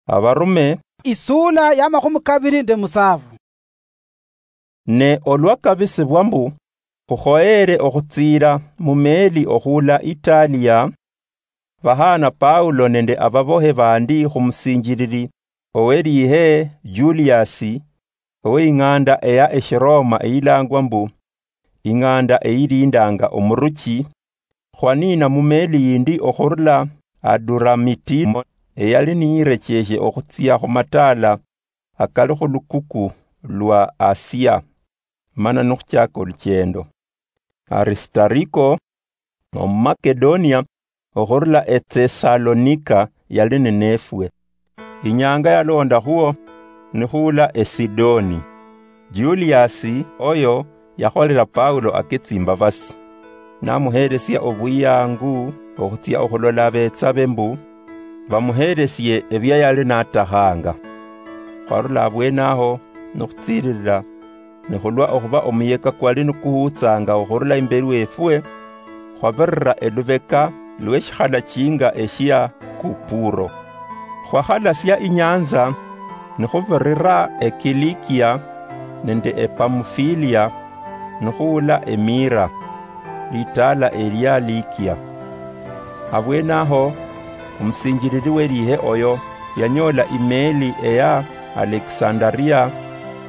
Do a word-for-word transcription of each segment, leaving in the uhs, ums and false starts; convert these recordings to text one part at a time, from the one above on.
Abarume. Isuula ya makhumi kabiri nde musaafu. Ne olwa kabisibwa mbu khukhoyeere okhutsiira mu meeli okhuula Italiya, bahaana Paulo nende ababohe bandi khumusinjilili oweliihe Juliasi, ow'ing'anda eya Eshiroma eyilaangwa mbu, ing'anda eyiliindaanga omuruchi, khwaniina mu meeli yindi okhurula Aduramitimo, eyali niyirecheeshe okhutsia khu mataala akali khu lukuku lwa Asia, mana nikhuchaaka olucheendo. Arisitariko, Omumakedonia okhurula Etesalonika yali ninefwe. Inyanga yalondakhwo nikhuula Esidoni. Juliasi oyo yakholera Paulo aketsimbabasi, namuheelesia obwiyangu okhutsia okhulola abetsabe mbu bamuheelesie ebia yali natakhanga. Khwarula abweene aho nikhutsiililila, ne khulwa okhuba omuyeka kwali nikuhuutsanga okhurula imbeli wefwe, khwabirira elubeka lw'eshikhalachinga eshia Kupuro. Khwakhalasia inyanza, nikhubirira eKilikia nende ePamufilia, nikhuula eMira, litaala elia Likia. Abweene aho, omusinjilili weliihe oyo yanyoola imeeli eya Alekisandaria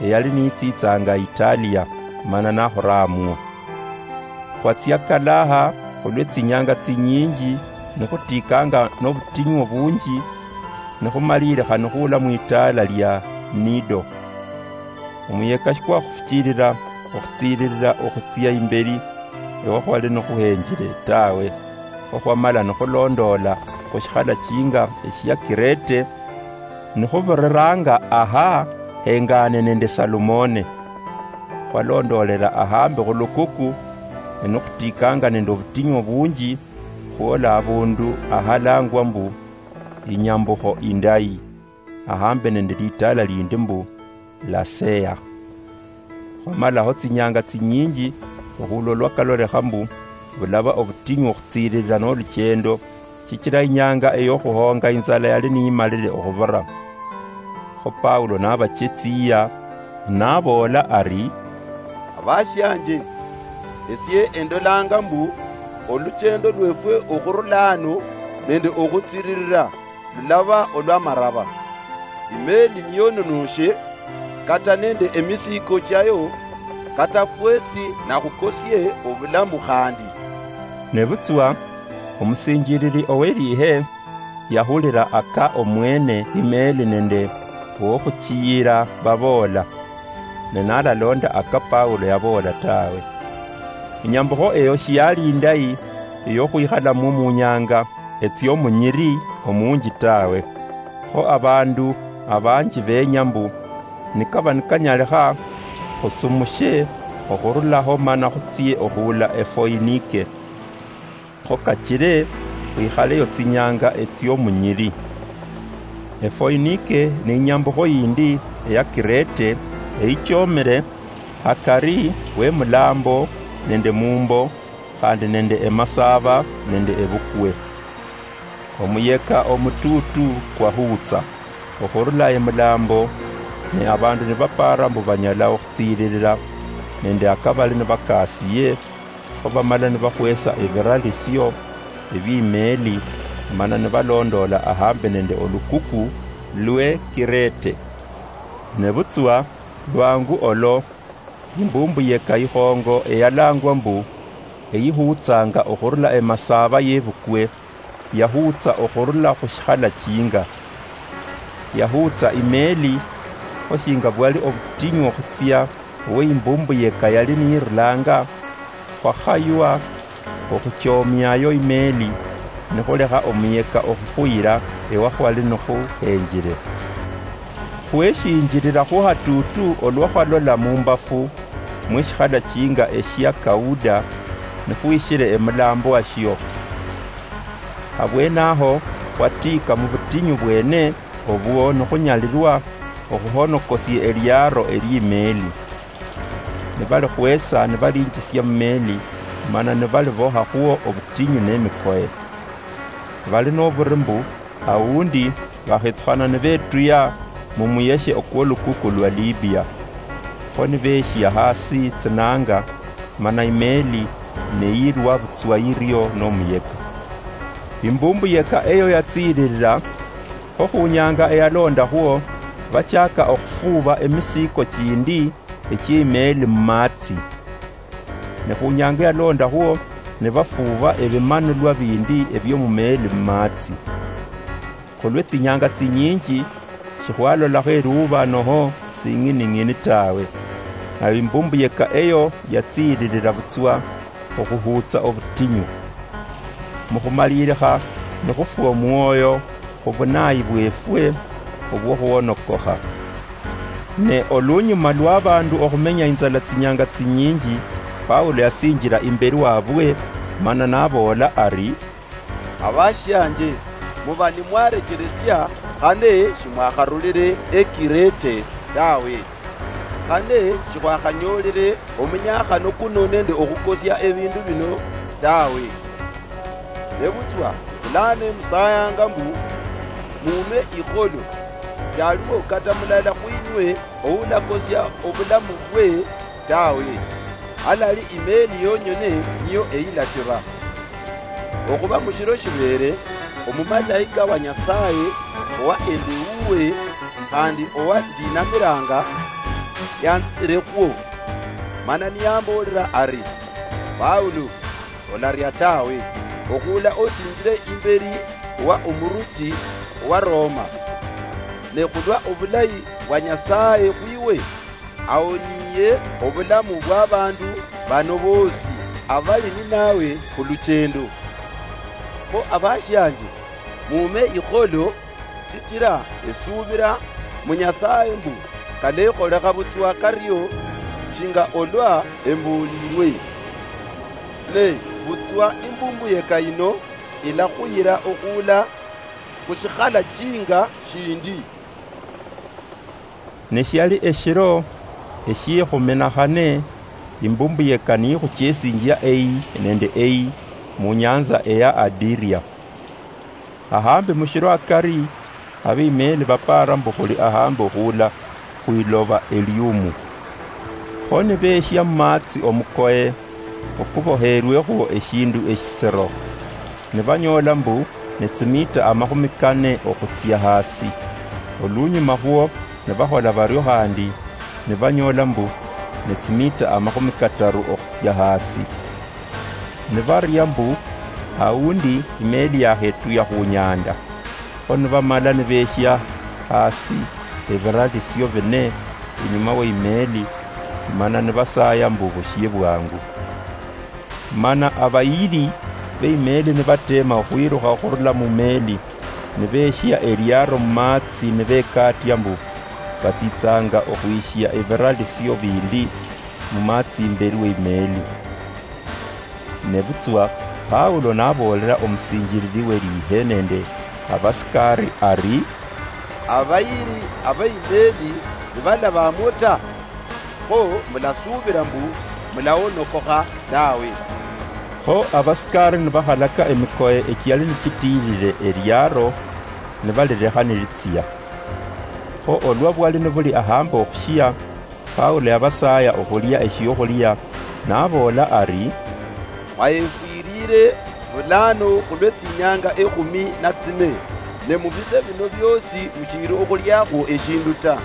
eyali niitsitsanga Italiya, mana nakhoraamwo. Khwatsia kalaha khulwe tsinyanga tsinyinji, nikhutiikanga nobutinyu obunji, nikhumaliilikha nikhuula mwitaala lia Nido. Omuyeka shikwakhufuchilila okhutsiililila okhutsia imbeli ewa khwali nikhuhenjile tawe, kho khwamala nikhulondoola khushikhalachinga eshia Kirete, nikhubiriranga aha hengaane nende Salumone. Khwalondoolela ahambi khulukuku, ne nikhutiikanga nende obutinyu obunji, khwola abundu ahalaangwa mbu, Inyambukho Indayi, ahambi nende litaala lindi mbu, Lasea. Khwamalaho tsinyanga tsinyinji, okhula olwa kalolekha mbu bulaba obutinyu okhutsiililila nolucheendo, shichila inyanga eyokhuhoonga inzala yali niyimalile okhubira. Kho Paulo nabachetsiya, naboola ari, "Abashianje, esie endolanga mbu olucheendo lwefwe okhurula ano nende okhutsiililila lulaba olwamaraba. Imeeli niyononoshe, kata nende emisiiko chiayo, kata fwesi nakhukosie obulamu khandi." Nebutswa omusinjilili oweliihe yahulila aka omwene imeeli nende owokhuchiyila baboola, ne nalalonda aka Paulo yaboola tawe. Inyambukho eyo shiyali indayi eyokhwikhalamwo munyanga etsiomunyiri omunji tawe. Kho abandu abanji benya mbu, nikaba nikanyalikha, khusumushe okhurulaho mana khutsie okhuula Efoinike. Kho kachile khwikhaleyo tsinyanga etsiomunyiri. Efoinike ni inyambukho yindi eya Kirete eyichomile hakari wemulaambo nende mumbo, khandi nende emasaaba nende ebukwe. Omuyeka omutuutu kwahuutsa okhurula emulaambo, ne abandu nibapaara mbu banyala okhutsiililila nende akabali nibakaasiye, kho bamala nibakhwesa ebiralisio ebiimeeli, mana nibalondoola ahambi nende olukuku lwe Kirete. Nebutswa lwangu olo, imbumbuyeka ikhongo eyalaangwa mbu, eyihuutsanga okhurula emasaaba yebukwe, yahuutsa okhurula khushikhalachinga. Yahuutsa imeeli, kho shinga bwali obutinyu okhutsia owe imbumbuyeka yali niyirulanga, khwakhaywa okhuchoomiayo imeeli, nikhulekha omuyeka okhukhuyila ewakhwali nikhuhenjile. Khweshinjilila khuhatuutu olwa khwalola mumbafu mweshikhalachinga eshia Kauda, nikhwishile emulaambo washio. Abweene aho khwatiika mubutinyu bweene obwo nikhunyalilwa okhuhonokosia eliaro eliimeeli. Nibalikhwesa nibalinjisia mumeeli, mana nibalibohakhwo obutinyu nemikoye. Bali noburi mbu, Awundi bakhetsukhana nibetuya mumuyeshe okwolukuku lwa Libia. Kho nibeshia hasi tsinanga, mana imeeli neyilwa butswa yirio nomuyeka. Imbumbuyeka eyo yatsiililila, kho khunyanga eyalondakhwo, bachaka okhufuuba emisiiko chindi echiemeeli mumaatsi. Ne khunyanga yalondakhwo, nibafuuba ebimanulwa bindi ebiomumeeli mumaatsi. Khulwe tsinyanga tsinyinji, shikhwalolakho eruuba noho tsing'ining'ini tawe. Nayo imbumbuyeka eyo yatsiililila butswa okhuhuutsa obutinyu. Mukhumalilikha nikhufwa omwoyo khubunayi bwefwe obwokhwonokokha. Ne olunyuma lwabandu okhumenya inzala tsinyanga tsinyinji, Paulo yasinjila imbeli wabwe, mana naboola ari, "Abashianje, muba nimwarecheresia, khane shimwakharulile Ekirete tawe, khane shikhwakhanyoolile omunyakhano kuno nende okhukosia ebindu bino tawe. Nebutswa bulano emusayanga mbu muume ikholo, shaliwo kata mulala khwinywe oulakosia obulamu bwe tawe, halali imeeli yonyene niyo eyilachiba. Okhuba mushiro shibeere, omumalaika wa Nyasaye owa endewuwe khandi owa ndinamilanga yanzitsirekhwo, mana niyamboolera ari, 'Paulo, olaria tawe, okhuula osinjire imberi wa omuruchi owa Roma. Ne khulwa obulayi bwa Nyasaye khwiwe, awoniye obulamu bwabandu bano boosi abali ninawe khuluchendo. Kho abashianje, muume ikholo, shichira esuubira mu Nyasaye mbu kalekholekha butswa kario shinga olwa emboolilwe. Ne butswa imbumbuyeka yino ilakhuyira okhuula khushikhala chinga shindi.'" Ne shiali eshiro eshiekhuminakhane, imbumbuyeka nikhuchesinjia eyi nende eyi munyanza eya Adiria. Ahambi mushiro akari, abeimeli bapaara mbu khuli ahambi okhuula khwiloba eliumu. Kho nibeeshia mumaatsi omukoye okuboheerwekhwo eshindu eshisiro, nibanyoola mbu nitsimita amakhumi kane okhutsia hasi. Olunyuma khwo nibakhola bario khandi, nibanyoola mbu nitsimita amakhumi kataru okhutsia hasi. Nibaria mbu, awundi imeeli yakhetuya khunyanda. Kho nibamala nibeeshia hasi ebiralisio bine inyuma weimeeli, mana nibasaaya mbu bushie bwangu. Mana abayili beimeeli nibateema okhwilukha okhurula mumeeli, nibeeshia eliaro mumaatsi nibekaatia mbu batsitsanga okhwishia ebiralisio bindi mumaatsi imbeli weimeeli. Nebutswa Paulo naboolela omusinjilili welihe nende abasikari ari, "Abayili abeimeeli nibalabamwo ta, kho mulasuubila mbu mulaonokokha tawe." Kho abasikari nibakhalaka emikoye echiali nichitiilile eliaro, nibalilekha nilitsia. Kho olwa bwali nibuli ahambi okhushia, Paulo yabasaaya okhulia eshiokhulia, naboola ari, "Mwayefwilile bulano khulwe tsinyanga ekhumi na tsine, ne mubise bino biosi mushili okhuliakhwo eshindu ta.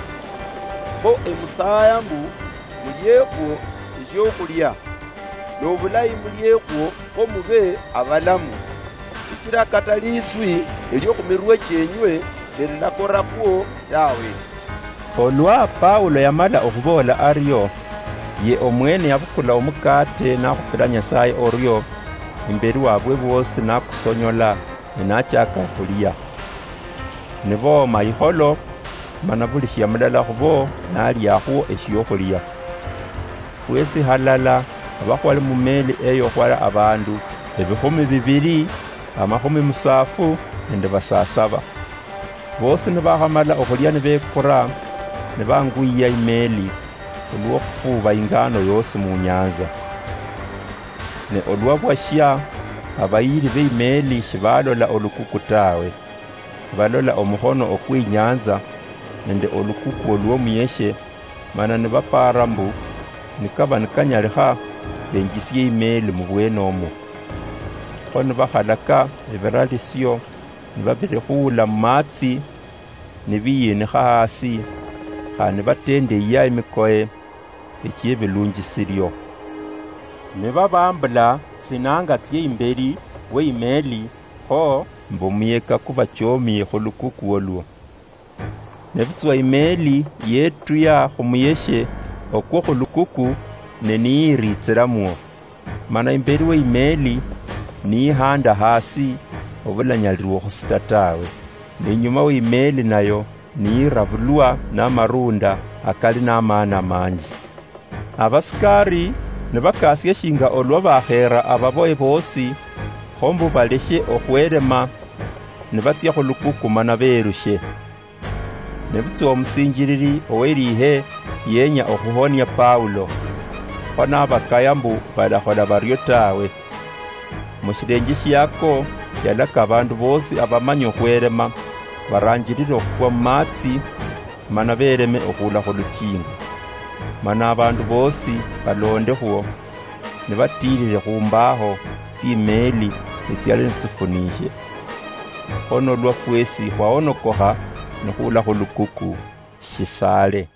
Kho emusaaya mbu muliekhwo eshiokhulia, nobulayi muliekhwo kho mube abalamu, shichila kata liswi elio khumirwe chienywe shelilakorakhwo tawe." Olwa Paulo yamala okhuboola ario, ye omwene yabukula omukate nakhupila Nyasaye orio imbeli wabwe boosi nakusonyola, ne nachaka okhulia. Nibooma ikholo, mana buli shia mulala khubo naliakhwo eshiokhulia. Fwesi halala abakhwali mumeli eyo khwali abandu ebikhumi bibili, amakhumi musafu nende basasaba. Bosi nibakhamala okhulia nibekura, nibanguyiya imeli, olwokhufuuba ingano yosi munyanza. Ne olwa bwashia, abayili beimeli shibalola olukuku tawe. nibalola omuhono okw'inyanza nende olukukuo lw'omuyeshe, mana nibapaara mbu, nikaba nikanyalikha, benjisie imeeli mubwene omwo. Kho nibakhalaka ebiralisio, nibabirikhuula mumaatsi, nibiyinikha hasi, khandi nibatendeyia emikoye echiebilunjisirio. Nibabambula tsinanga tsie imbeli we imeeli, kho mbu omuyeka kubachomie khulukuku olwo. Nebutswa imeeli yetuya khumuyeshe okwo khulukuku, ne niyiritsiramwo. Mana imbeli we imeeli niyihanda hasi, obulanyalirwa okhusita tawe. Ne inyuma we imeeli nayo niyirabulwa namarunda akali namaani amanji. Abasikari nibakasia shinga olwa bakheera ababoye boosi, kho mbu baleshe okhwelema, nibatsia khulukuku mana beerushe. Nebutswa omusinjilili owelihe yenya okhuhonia Paulo, kho nabakaya mbu balakhola bario tawe. Mushilenje shiako, yalaka abandu boosi abamanya okhwelema, baranjilile okhukwa mumaatsi, mana beleme okhuula khuluchinga. Mana abandu boosi balondekhwo, nibatilile khumbaho tsimeeli etsiali nitsifuniishe. Kho nolwa fwesi khwahonokokha nikhuula khulukuku shisaale.